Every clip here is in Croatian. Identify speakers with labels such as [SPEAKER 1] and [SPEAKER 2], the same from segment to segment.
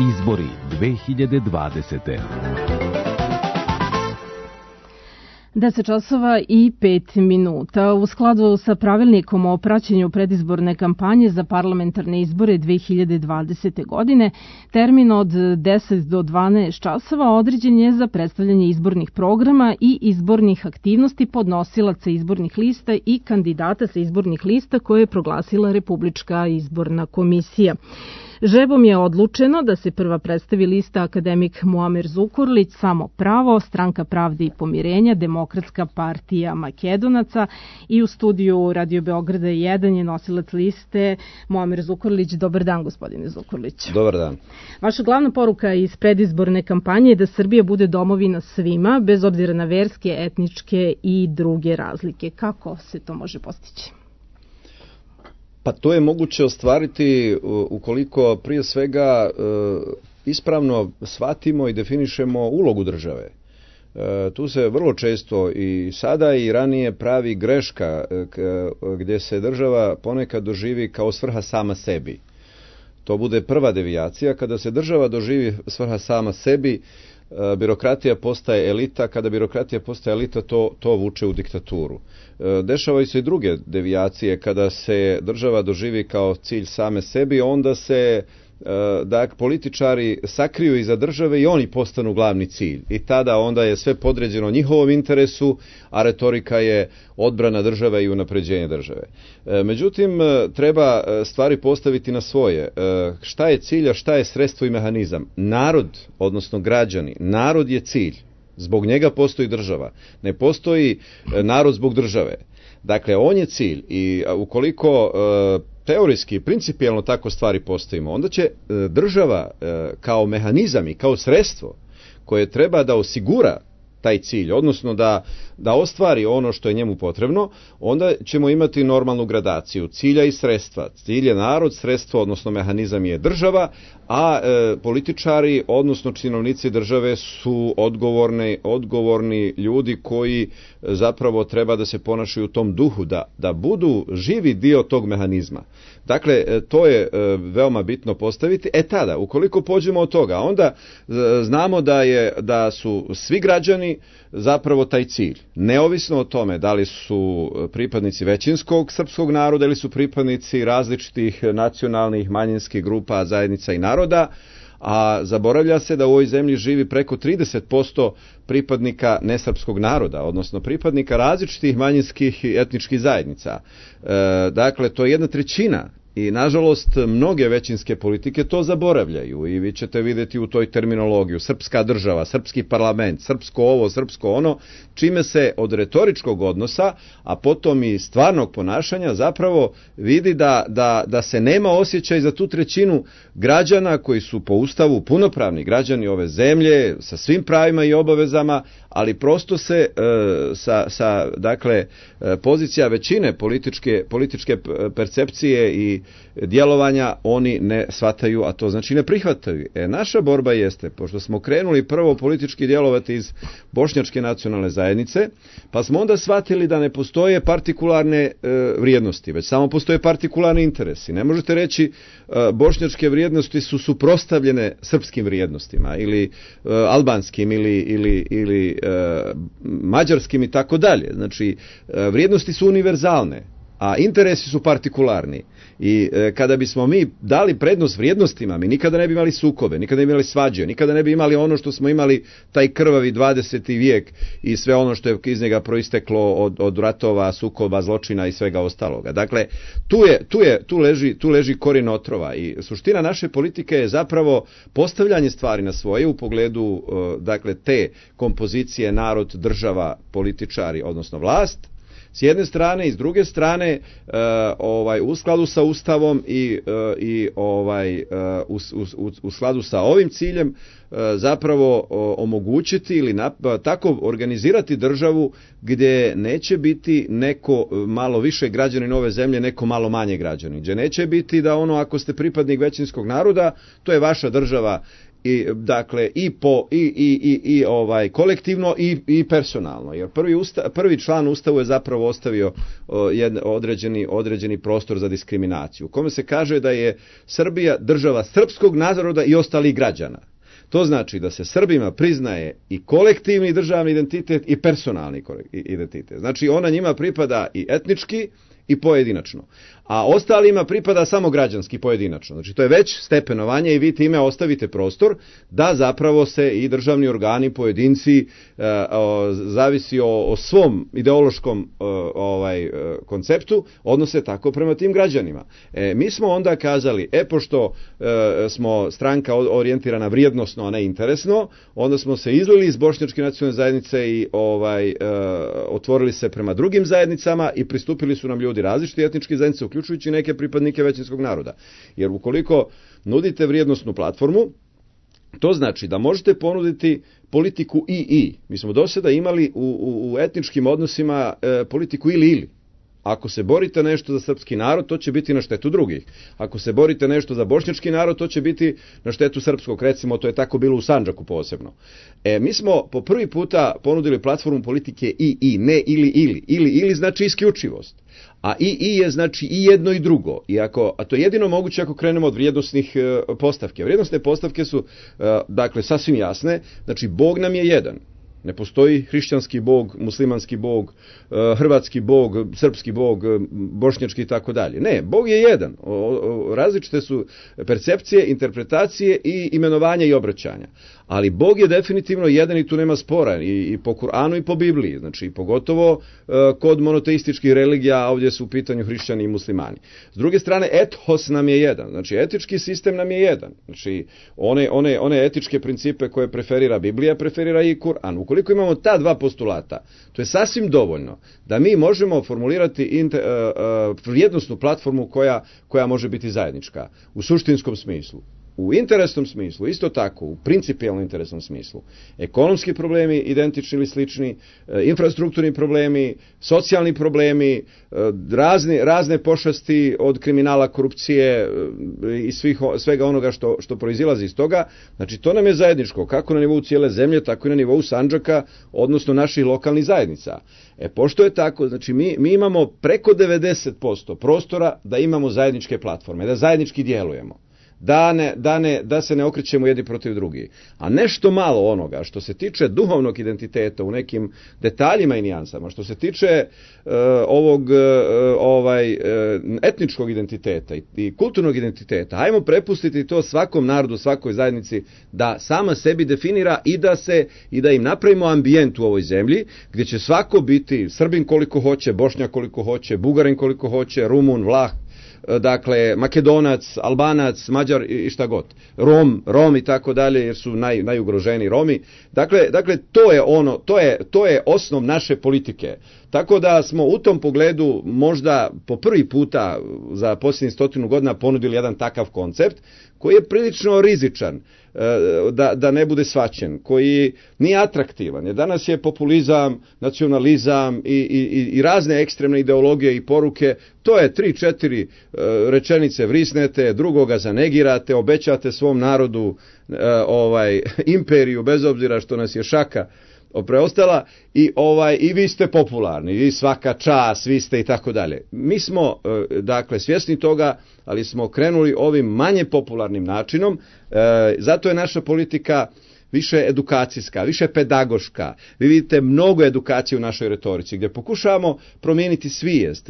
[SPEAKER 1] Izbori 2020.
[SPEAKER 2] 10 časova i 5 minuta. U skladu sa pravilnikom o praćenju predizborne kampanje za parlamentarne izbore 2020. godine, termin od 10 do 12 časova određen je za predstavljanje izbornih programa i izbornih aktivnosti podnosilaca izbornih lista i kandidata sa izbornih lista koje je proglasila Republička izborna komisija. Žrebom je odlučeno da se prva predstavi lista akademik Muamer Zukorlić, Samo pravo, Stranka pravde i pomirenja, Demokratska partija Makedonaca, i u studiju Radio Beograda 1 je nosilac liste Muamer Zukorlić. Dobar dan, gospodine Zukorlić.
[SPEAKER 3] Dobar dan.
[SPEAKER 2] Vaša glavna poruka iz predizborne kampanje je da Srbija bude domovina svima, bez obzira na verske, etničke i druge razlike. Kako se to može postići?
[SPEAKER 3] Pa to je moguće ostvariti ukoliko prije svega ispravno shvatimo i definišemo ulogu države. Tu se vrlo često i sada i ranije pravi greška gdje se država ponekad doživi kao svrha sama sebi. To bude prva devijacija. Kada se država doživi svrha sama sebi, birokratija postaje elita. Kada birokratija postaje elita, to vuče u diktaturu. Dešavaju se i druge devijacije. Kada se država doživi kao cilj same sebi, onda se političari sakriju iza države i oni postanu glavni cilj. I tada onda je sve podređeno njihovom interesu, a retorika je odbrana države i unapređenje države. Međutim, treba stvari postaviti na svoje. Šta je cilj, a šta je sredstvo i mehanizam? Narod, odnosno građani, narod je cilj. Zbog njega postoji država. Ne postoji narod zbog države. Dakle, on je cilj i ukoliko teorijski, principijelno tako stvari postavimo, onda će država kao mehanizam i kao sredstvo koje treba da osigura taj cilj, odnosno da ostvari ono što je njemu potrebno, onda ćemo imati normalnu gradaciju cilja i sredstva. Cilj je narod, sredstvo, odnosno mehanizam je država, a političari, odnosno činovnici države su odgovorni ljudi koji zapravo treba da se ponašaju u tom duhu, da budu živi dio tog mehanizma. Dakle, to je veoma bitno postaviti. Tada, ukoliko pođemo od toga, onda znamo da su svi građani zapravo taj cilj. Neovisno o tome da li su pripadnici većinskog srpskog naroda ili su pripadnici različitih nacionalnih, manjinskih grupa, zajednica i naroda, a zaboravlja se da u ovoj zemlji živi preko 30% pripadnika nesrpskog naroda, odnosno pripadnika različitih manjinskih i etničkih zajednica. Dakle, to je 1/3. I nažalost mnoge većinske politike to zaboravljaju i vi ćete vidjeti u toj terminologiju srpska država, srpski parlament, srpsko ovo, srpsko ono, čime se od retoričkog odnosa, a potom i stvarnog ponašanja zapravo vidi da se nema osjećaj za tu 1/3 građana koji su po Ustavu punopravni građani ove zemlje sa svim pravima i obavezama, ali prosto se sa pozicija većine političke percepcije i djelovanja oni ne shvataju, a to znači ne prihvataju. Naša borba jeste, pošto smo krenuli prvo politički djelovati iz bošnjačke nacionalne zajednice, pa smo onda shvatili da ne postoje partikularne vrijednosti, već samo postoje partikularni interesi. Ne možete reći bošnjačke vrijednosti su suprotstavljene srpskim vrijednostima ili albanskim ili mađarskim i tako dalje. Znači, vrijednosti su univerzalne, a interesi su partikularni. I kada bismo mi dali prednost vrijednostima, mi nikada ne bi imali sukobe, nikada ne bi imali svađe, nikada ne bi imali ono što smo imali, taj krvavi 20. vijek i sve ono što je iz njega proisteklo od ratova, sukoba, zločina i svega ostaloga. Dakle, tu leži korijen otrova i suština naše politike je zapravo postavljanje stvari na svoje u pogledu te kompozicije narod, država, političari, odnosno vlast. S jedne strane i s druge strane u skladu sa Ustavom i u skladu sa ovim ciljem zapravo omogućiti ili tako organizirati državu gdje neće biti neko malo više građanin ove zemlje, neko malo manje građanin. Gdje neće biti da ako ste pripadnik većinskog naroda, to je vaša država dakle kolektivno i personalno, jer prvi član Ustavu je zapravo ostavio određeni prostor za diskriminaciju, u kome se kaže da je Srbija država srpskog naroda i ostalih građana. To znači da se Srbima priznaje i kolektivni državni identitet i personalni identitet. Znači ona njima pripada i etnički i pojedinačno, a ostalima pripada samo građanski pojedinačno. Znači to je već stepenovanje i vi time ostavite prostor da zapravo se i državni organi, pojedinci, zavisi o svom ideološkom konceptu, odnose tako prema tim građanima. Mi smo onda kazali, pošto smo stranka orijentirana vrijednosno, a ne interesno, onda smo se izlili iz bošnjačke nacionalne zajednice i otvorili se prema drugim zajednicama i pristupili su nam ljudi različiti etnički zajednice, uključujući neke pripadnike većinskog naroda. Jer ukoliko nudite vrijednosnu platformu, to znači da možete ponuditi politiku i. Mi smo do sada imali u etničkim odnosima politiku ili. Ako se borite nešto za srpski narod, to će biti na štetu drugih. Ako se borite nešto za bošnjački narod, to će biti na štetu srpskog. Recimo, to je tako bilo u Sandžaku posebno. Mi smo po prvi puta ponudili platformu politike i, ne ili. Ili znači isključivost. A i je znači i jedno i drugo. A to je jedino moguće ako krenemo od vrijednosnih postavke. Vrijednosne postavke su dakle sasvim jasne. Znači Bog nam je jedan. Ne postoji hrišćanski bog, muslimanski bog, hrvatski bog, srpski bog, bošnjački i tako dalje. Ne, Bog je jedan. Različite su percepcije, interpretacije i imenovanja i obraćanja. Ali Bog je definitivno jedan i tu nema spora i po Kur'anu i po Bibliji. Znači pogotovo kod monoteističkih religija, a ovdje su u pitanju hrišćani i muslimani. S druge strane, ethos nam je jedan. Znači etički sistem nam je jedan. Znači one etičke principe koje preferira Biblija, preferira i Kur'an. Ukoliko imamo ta dva postulata, to je sasvim dovoljno da mi možemo formulirati vrijednosnu platformu koja može biti zajednička u suštinskom smislu. U interesnom smislu, isto tako, u principijalno interesnom smislu, ekonomski problemi identični ili slični, infrastrukturni problemi, socijalni problemi, razne pošasti od kriminala, korupcije i svega onoga što proizilazi iz toga, znači to nam je zajedničko, kako na nivou cijele zemlje, tako i na nivou Sandžaka, odnosno naših lokalnih zajednica. Pošto je tako, znači mi imamo preko 90% prostora da imamo zajedničke platforme, da zajednički djelujemo. Da se ne okrećemo jedni protiv drugih. A nešto malo onoga što se tiče duhovnog identiteta u nekim detaljima i nijansama, što se tiče etničkog identiteta i kulturnog identiteta, hajmo prepustiti to svakom narodu, svakoj zajednici da sama sebi definira i da im napravimo ambijent u ovoj zemlji gdje će svako biti Srbin koliko hoće, Bošnjak koliko hoće, Bugarin koliko hoće, Rumun, Vlah, dakle Makedonac, Albanac, Mađar i šta god. Rom i tako dalje, jer su najugroženiji Romi. Dakle to je osnov naše politike. Tako da smo u tom pogledu možda po prvi puta za posljednjih 100 godina ponudili jedan takav koncept koji je prilično rizičan, da ne bude shvaćen, koji nije atraktivan. Jer danas je populizam, nacionalizam i razne ekstremne ideologije i poruke. To je 3-4 rečenice vrisnete, drugoga zanegirate, obećate svom narodu imperiju, bez obzira što nas je šaka preostala i vi ste popularni, i svaka čast, vi ste i tako dalje. Mi smo dakle svjesni toga, ali smo krenuli ovim manje popularnim načinom, zato je naša politika više edukacijska, više pedagoška. Vi vidite mnogo edukacije u našoj retorici, gdje pokušavamo promijeniti svijest,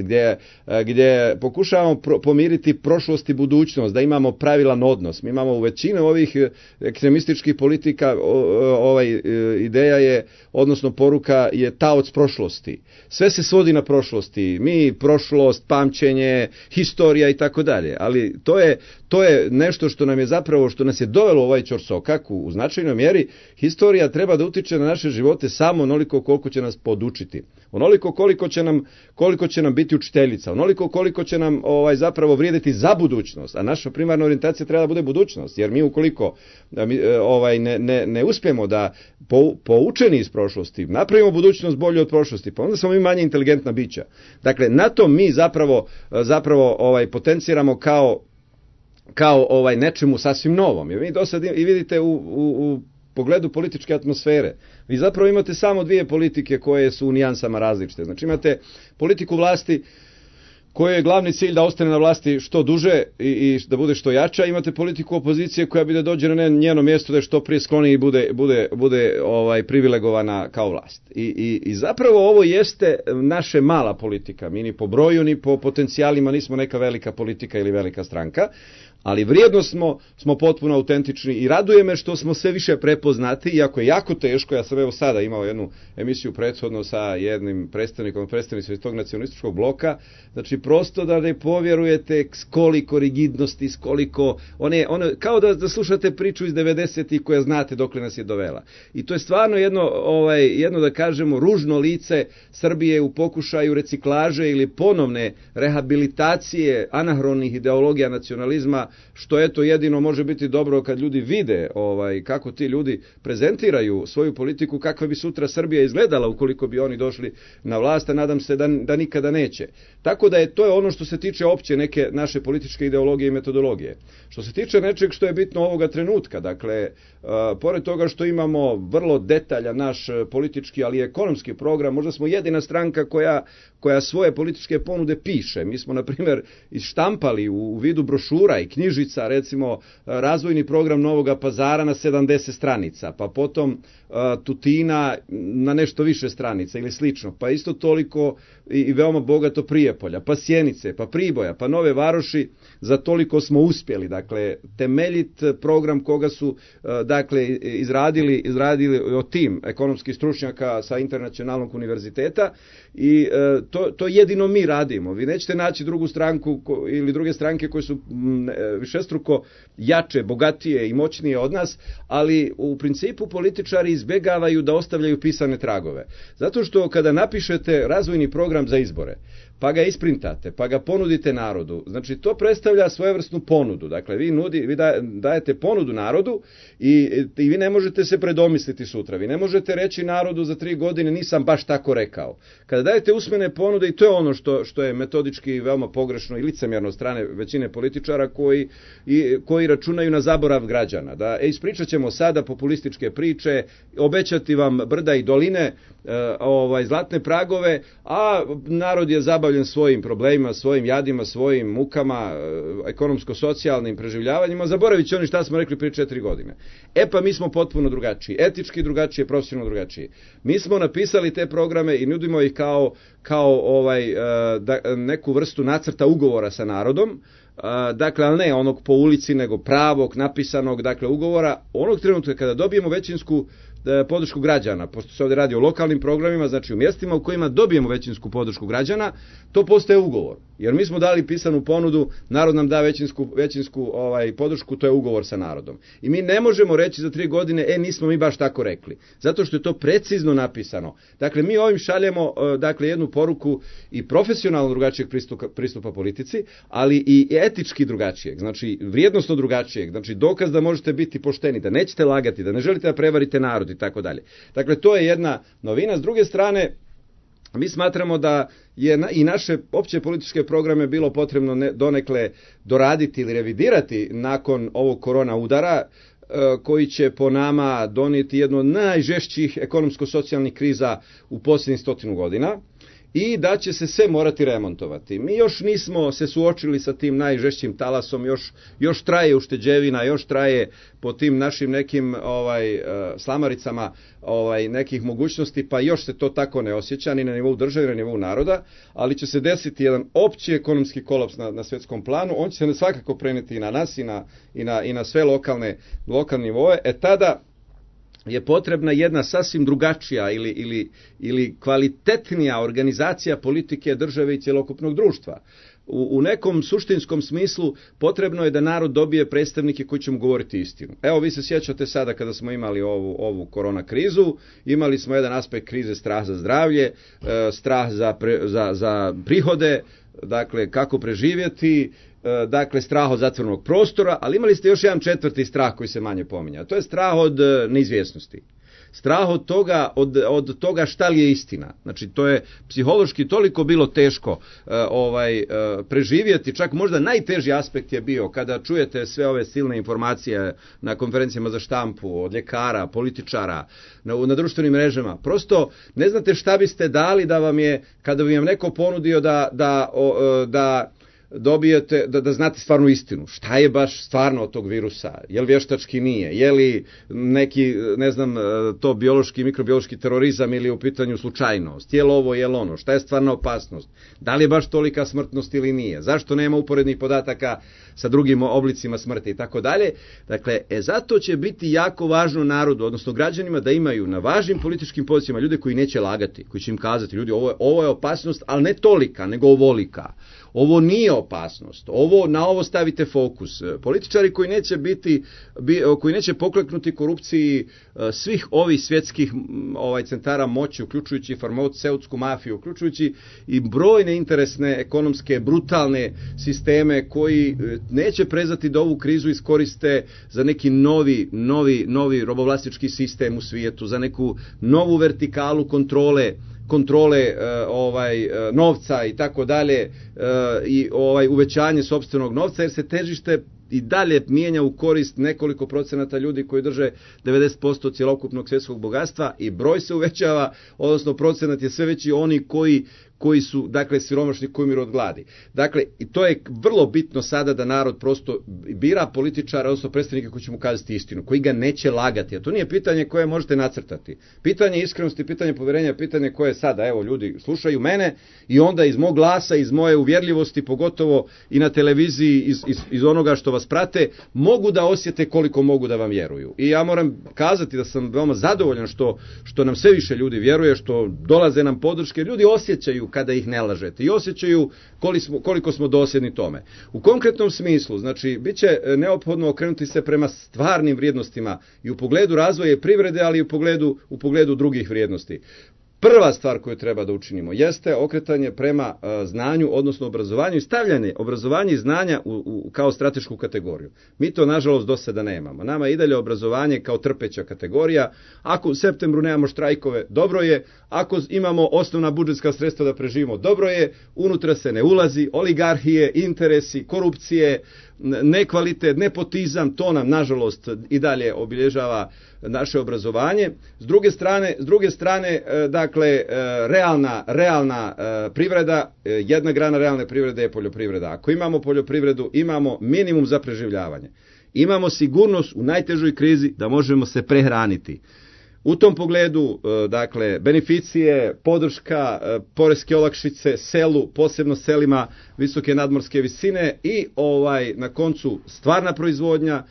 [SPEAKER 3] gdje pokušavamo pomiriti prošlost i budućnost, da imamo pravilan odnos. Mi imamo u većini ovih ekstremističkih politika, ideja je, odnosno poruka je taoc prošlosti. Sve se svodi na prošlosti. Mi, prošlost, pamćenje, historija i tako dalje. Ali to je nešto što nam je zapravo, što nas je dovelo u ovaj ćorsokak u značajnoj mjeri. Historija treba da utiče na naše živote samo onoliko koliko će nas podučiti. Onoliko koliko će nam biti učiteljica, onoliko koliko će nam zapravo vrijediti za budućnost, a naša primarna orijentacija treba da bude budućnost, jer mi ukoliko ne uspijemo da poučeni iz prošlosti napravimo budućnost bolju od prošlosti, pa onda smo mi manje inteligentna bića. Dakle, na to mi zapravo potenciramo kao nečemu sasvim novom. Jer vi do sad i vidite u pogledu političke atmosfere. Vi zapravo imate samo dvije politike koje su u nijansama različite. Znači imate politiku vlasti kojoj je glavni cilj da ostane na vlasti što duže i da bude što jača. Imate politiku opozicije koja bi da dođe na njeno mjesto da je što prije skloni i bude privilegovana kao vlast. I zapravo ovo jeste naše mala politika. Mi ni po broju ni po potencijalima nismo neka velika politika ili velika stranka. Ali vrijedno smo potpuno autentični i raduje me što smo sve više prepoznati, iako je jako teško. Ja sam evo sada imao jednu emisiju prethodno sa jednim predstavnicom iz tog nacionalističkog bloka, znači prosto da ne povjerujete s koliko rigidnosti, s koliko, kao da slušate priču iz 90-ih koja znate dokle nas je dovela. I to je stvarno jedno da kažemo ružno lice Srbije u pokušaju reciklaže ili ponovne rehabilitacije anahronih ideologija nacionalizma, što eto jedino može biti dobro kad ljudi vide kako ti ljudi prezentiraju svoju politiku, kakva bi sutra Srbija izgledala ukoliko bi oni došli na vlast, a nadam se da nikada neće. Tako da to je ono što se tiče opće neke naše političke ideologije i metodologije. Što se tiče nečeg što je bitno ovoga trenutka, dakle, pored toga što imamo vrlo detaljan naš politički, ali i ekonomski program, možda smo jedina stranka koja svoje političke ponude piše. Mi smo, na primjer, ištampali u vidu brošura i knjižica, recimo, razvojni program Novoga Pazara na 70 stranica, pa potom Tutina na nešto više stranica ili slično, pa isto toliko i veoma bogato Prijepolja, pa Sjenice, pa Priboja, pa Nove Varoši, za toliko smo uspjeli. Dakle, temeljit program koga su izradili tim ekonomskih stručnjaka sa internacionalnog univerziteta i to jedino mi radimo. Vi nećete naći drugu stranku ili druge stranke koje su višestruko jače, bogatije i moćnije od nas, ali u principu političari izbjegavaju da ostavljaju pisane tragove. Zato što kada napišete razvojni program za izbore, pa ga isprintate, pa ga ponudite narodu, znači to predstavlja svojevrsnu ponudu. Dakle, vi dajete ponudu narodu i vi ne možete se predomisliti sutra. Vi ne možete reći narodu za 3 godine nisam baš tako rekao. Kada dajete usmene ponude, i to je ono što je metodički veoma pogrešno i licemjerno od strane većine političara koji računaju na zaborav građana. Da ispričat ćemo sada populističke priče, obećati vam brda i doline, zlatne pragove, a narod je zabavljen svojim problemima, svojim jadima, svojim mukama, ekonomsko-socijalnim preživljavanjima, zaboravit će oni šta smo rekli prije 4 godine. Pa mi smo potpuno drugačiji, etički drugačiji, profesionalno drugačiji. Mi smo napisali te programe i nudimo ih kao neku vrstu nacrta ugovora sa narodom, dakle, ali ne onog po ulici, nego pravog, napisanog, dakle, ugovora, onog trenutka kada dobijemo većinsku podršku građana, pošto se ovdje radi o lokalnim programima, znači u mjestima u kojima dobijemo većinsku podršku građana, to postaje ugovor. Jer mi smo dali pisanu ponudu, narod nam da većinsku podršku, to je ugovor sa narodom. I mi ne možemo reći za 3 godine, nismo mi baš tako rekli. Zato što je to precizno napisano. Dakle, mi ovim šaljemo jednu poruku i profesionalno drugačijeg pristupa politici, ali i etički drugačijeg, znači vrijednosno drugačijeg, znači dokaz da možete biti pošteni, da nećete lagati, da ne želite da prevarite narod i tako dalje. Dakle, to je jedna novina. S druge strane, mi smatramo da je i naše opće političke programe bilo potrebno donekle doraditi ili revidirati nakon ovog korona udara, koji će po nama donijeti jednu od najžešćih ekonomsko-socijalnih kriza u posljednjih 100 godina. I da će se sve morati remontovati. Mi još nismo se suočili sa tim najžešćim talasom, još traje ušteđevina, još traje po tim našim nekim slamaricama nekih mogućnosti, pa još se to tako ne osjeća ni na nivou države, ni na nivou naroda, ali će se desiti jedan opći ekonomski kolaps na svjetskom planu. On će se svakako prenijeti i na nas i na sve lokalne nivoe. Tada je potrebna jedna sasvim drugačija ili kvalitetnija organizacija politike države i cjelokupnog društva. U nekom suštinskom smislu potrebno je da narod dobije predstavnike koji će mu govoriti istinu. Evo, vi se sjećate sada kada smo imali ovu korona krizu, imali smo jedan aspekt krize, strah za zdravlje, strah za prihode, dakle kako preživjeti, dakle strah od zatvorenog prostora, ali imali ste još jedan 4. strah koji se manje pominja. To je strah od neizvjesnosti. strah od toga šta li je istina. Znači, to je psihološki toliko bilo teško preživjeti, čak možda najteži aspekt je bio kada čujete sve ove silne informacije na konferencijama za štampu, od ljekara, političara, na društvenim mrežama. Prosto ne znate šta biste dali da vam je, kada bi vam neko ponudio da dobijete, da znate stvarnu istinu. Šta je baš stvarno od tog virusa? Je li vještački nije? Je li neki, ne znam, to biološki, mikrobiološki terorizam ili u pitanju slučajnost? Je li ovo, je li ono? Šta je stvarna opasnost? Da li je baš tolika smrtnost ili nije? Zašto nema uporednih podataka sa drugim oblicima smrti i tako dalje? Dakle, zato će biti jako važno narodu, odnosno građanima, da imaju na važnim političkim pozicijama ljude koji neće lagati, koji će im kazati, ljudi, ovo je opasnost, ali ne tolika, nego ovolika. Ovo nije opasnost. Na ovo stavite fokus. Političari koji neće pokleknuti korupciji svih ovih svjetskih centara moći, uključujući farmaceutsku mafiju, uključujući i brojne interesne, ekonomske, brutalne sisteme koji neće prezati da ovu krizu iskoriste za neki novi robovlasnički sistem u svijetu, za neku novu vertikalu kontrole novca i tako dalje, i uvećanje sopstvenog novca, jer se težište i dalje mijenja u korist nekoliko procenata ljudi koji drže 90% cjelokupnog svjetskog bogatstva, i broj se uvećava, odnosno procenat je sve veći oni koji su, dakle, siromašni, koji umiru od gladi. Dakle, i to je vrlo bitno sada da narod prosto bira političara, odnosno predstavnike koji će mu kazati istinu, koji ga neće lagati. A to nije pitanje koje možete nacrtati. Pitanje iskrenosti, pitanje povjerenja, pitanje koje sada, evo, ljudi slušaju mene i onda iz mog glasa, iz moje uvjerljivosti, pogotovo i na televiziji, iz onoga što vas prate, mogu da osjete koliko mogu da vam vjeruju. I ja moram kazati da sam veoma zadovoljan što nam sve više ljudi vjeruje, što dolaze nam podrške, ljudi osjećaju kada ih ne lažete i osjećaju koliko smo dosljedni tome. U konkretnom smislu, znači, bit će neophodno okrenuti se prema stvarnim vrijednostima i u pogledu razvoja privrede, ali i u pogledu drugih vrijednosti. Prva stvar koju treba da učinimo jeste okretanje prema znanju, odnosno obrazovanju, i stavljanje obrazovanja i znanja kao stratešku kategoriju. Mi to, nažalost, do sada nemamo. Nama je i dalje obrazovanje kao trpeća kategorija. Ako u septembru nemamo štrajkove, dobro je. Ako imamo osnovna budžetska sredstva da preživimo, dobro je. Unutra se ne ulazi. Oligarhije, interesi, korupcije, nekvalitet, nepotizam, to nam, nažalost, i dalje obilježava naše obrazovanje. S druge strane, dakle, realna privreda, jedna grana realne privrede je poljoprivreda. Ako imamo poljoprivredu, imamo minimum za preživljavanje. Imamo sigurnost u najtežoj krizi da možemo se prehraniti. U tom pogledu, dakle, beneficije, podrška, poreske olakšice selu, posebno selima visoke nadmorske visine, i na koncu stvarna proizvodnja,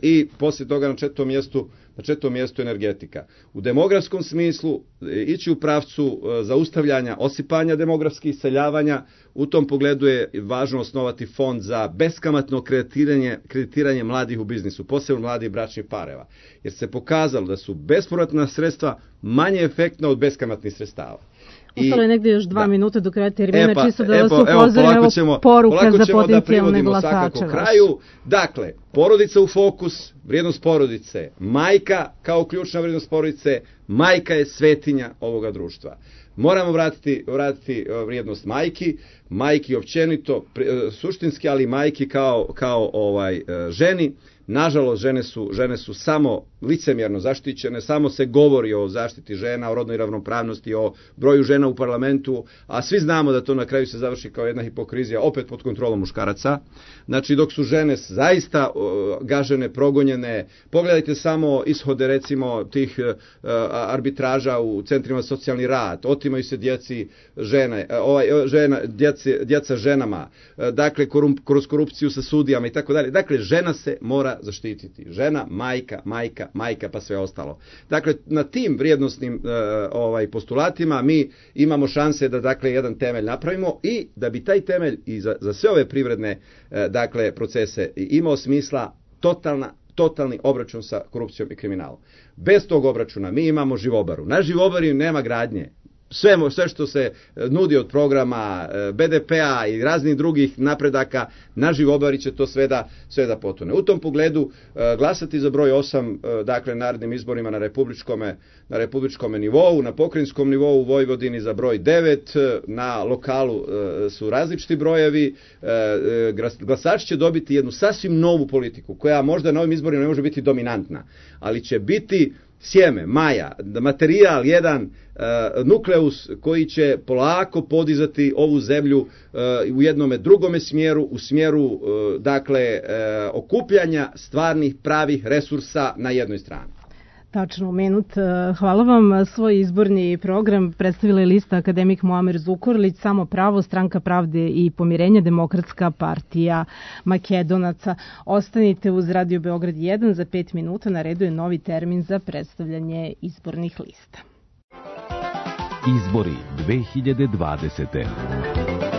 [SPEAKER 3] i poslije toga na četvrtom mjestu energetika. U demografskom smislu ići u pravcu zaustavljanja osipanja demografskih iseljavanja. U tom pogledu je važno osnovati fond za beskamatno kreditiranje mladih u biznisu, posebno mladih bračnih pareva, jer se pokazalo da su bespovratna sredstva manje efektna od beskamatnih sredstava.
[SPEAKER 2] Ostalo je negdje još 2 minute do kraja termina, čisto da vas upozorim, poruka za potencijalne glasače.
[SPEAKER 3] Kraju. Dakle, porodica u fokus, vrijednost porodice, majka kao ključna vrijednost porodice, majka je svetinja ovoga društva. Moramo vratiti vrijednost majki općenito, suštinski, ali majki kao ženi. Nažalost, žene su samo licemjerno zaštićene, samo se govori o zaštiti žena, o rodnoj ravnopravnosti, o broju žena u parlamentu, a svi znamo da to na kraju se završi kao jedna hipokrizija, opet pod kontrolom muškaraca. Znači, dok su žene zaista gažene, progonjene, pogledajte samo ishode, recimo, tih arbitraža u centrima za socijalni rad, otimaju se djeca ženama, dakle, kroz korupciju sa sudijama i tako dalje. Dakle, žena se mora zaštititi. Žena, majka, pa sve ostalo. Dakle, na tim vrijednosnim postulatima mi imamo šanse da, dakle, jedan temelj napravimo, i da bi taj temelj i za sve ove privredne, dakle, procese imao smisla totalni obračun sa korupcijom i kriminalom. Bez tog obračuna mi imamo živobaru. Na živobari nema gradnje. sve što se nudi od programa BDP-a i raznih drugih napredaka, naživo će to sve da potone. U tom pogledu glasati za broj 8, dakle narednim izborima na republičkom nivou, na pokrajinskom nivou u Vojvodini za broj 9, na lokalu su različiti brojevi, glasači će dobiti jednu sasvim novu politiku, koja možda na ovim izborima ne može biti dominantna, ali će biti sjeme, maja, materijal, jedan nukleus koji će polako podizati ovu zemlju u jednome drugome smjeru, u smjeru dakle okupljanja stvarnih pravih resursa na jednoj strani.
[SPEAKER 2] Tačno, minut. Hvala vam. Svoj izborni program predstavila je lista akademik Muamer Zukorlić, Samo pravo, Stranka pravde i pomirenja, Demokratska partija Makedonaca. Ostanite uz Radio Beograd 1, za 5 minuta na redu je novi termin za predstavljanje izbornih lista.
[SPEAKER 1] Izbori 2020.